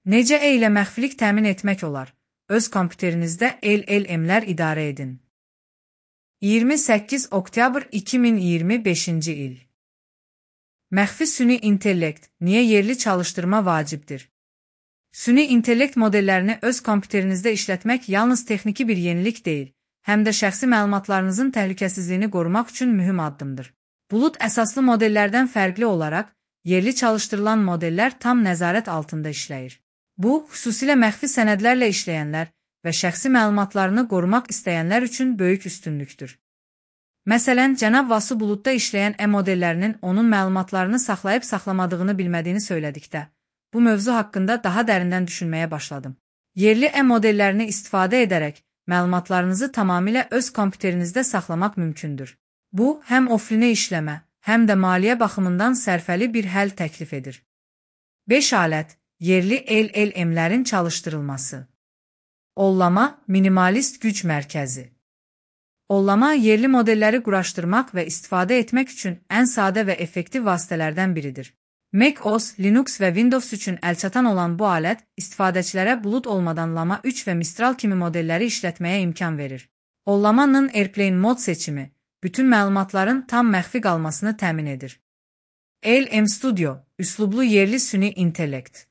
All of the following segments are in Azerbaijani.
Necə E ilə məxfilik təmin etmək olar? Öz kompüterinizdə LLM-lər idarə edin. 28 oktyabr 2025-ci il. Məxfi süni intellekt, niyə yerli çalışdırma vacibdir? Süni intellekt modellərini öz kompüterinizdə işlətmək yalnız texniki bir yenilik deyil, həm də şəxsi məlumatlarınızın təhlükəsizliyini qorumaq üçün mühüm addımdır. Bulut əsaslı modellərdən fərqli olaraq, yerli çalışdırılan modellər tam nəzarət altında işləyir. Bu, xüsusilə məxfi sənədlərlə işləyənlər və şəxsi məlumatlarını qorumaq istəyənlər üçün böyük üstünlükdür. Məsələn, cənab Vasu buludda işləyən modellərinin onun məlumatlarını saxlayıb saxlamadığını bilmədiyini söylədikdə, bu mövzu haqqında daha dərindən düşünməyə başladım. Yerli modellərini istifadə edərək, məlumatlarınızı tamamilə öz kompüterinizdə saxlamaq mümkündür. Bu, həm ofline işləmə, həm də maliyyə baxımından sərfəli bir həll təklif edir. 5 alət, yerli LLM-lərin çalışdırılması. Ollama, minimalist güc mərkəzi. Ollama, yerli modelləri quraşdırmaq və istifadə etmək üçün ən sadə və effektiv vasitələrdən biridir. Mac OS, Linux və Windows üçün əlçatan olan bu alət, istifadəçilərə bulud olmadan Llama 3 və Mistral kimi modelləri işlətməyə imkan verir. Ollamanın Airplane mod seçimi, bütün məlumatların tam məxfi qalmasını təmin edir. LM Studio, üslublu yerli süni intellekt.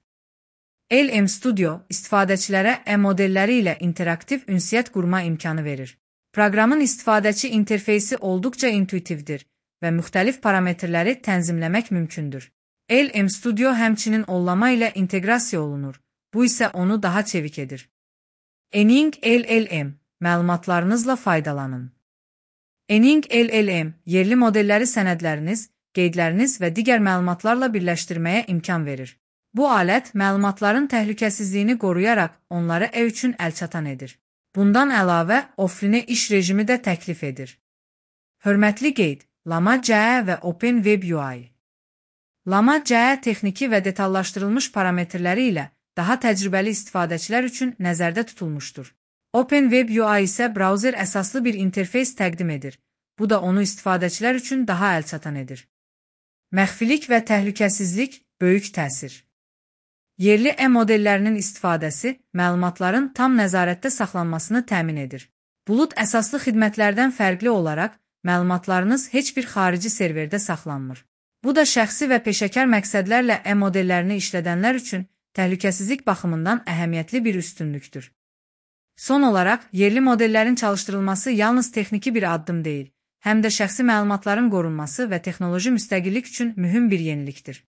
LM Studio, istifadəçilərə modelləri ilə interaktiv ünsiyyət qurma imkanı verir. Proqramın istifadəçi interfeysi olduqca intuitivdir və müxtəlif parametrləri tənzimləmək mümkündür. LM Studio həmçinin ollama ilə inteqrasiya olunur, bu isə onu daha çevik edir. Ening LLM, məlumatlarınızla faydalanın. Ening LLM, yerli modelləri sənədləriniz, qeydləriniz və digər məlumatlarla birləşdirməyə imkan verir. Bu alət məlumatların təhlükəsizliyini qoruyaraq onları üçün əlçatan edir. Bundan əlavə, offline iş rejimi də təklif edir. Hörmətli qeyd, Llama CE və OpenWebUI. Llama CE texniki və detallaşdırılmış parametrləri ilə daha təcrübəli istifadəçilər üçün nəzərdə tutulmuşdur. OpenWebUI isə brauzer əsaslı bir interfeys təqdim edir. Bu da onu istifadəçilər üçün daha əlçatan edir. Məxfilik və təhlükəsizlik böyük təsir. Yerli modellərinin istifadəsi məlumatların tam nəzarətdə saxlanmasını təmin edir. Bulud əsaslı xidmətlərdən fərqli olaraq, məlumatlarınız heç bir xarici serverdə saxlanmır. Bu da şəxsi və peşəkar məqsədlərlə modellərini işlədənlər üçün təhlükəsizlik baxımından əhəmiyyətli bir üstünlükdür. Son olaraq, yerli modellərin çalışdırılması yalnız texniki bir addım deyil, həm də şəxsi məlumatların qorunması və texnoloji müstəqillik üçün mühüm bir yenilikdir.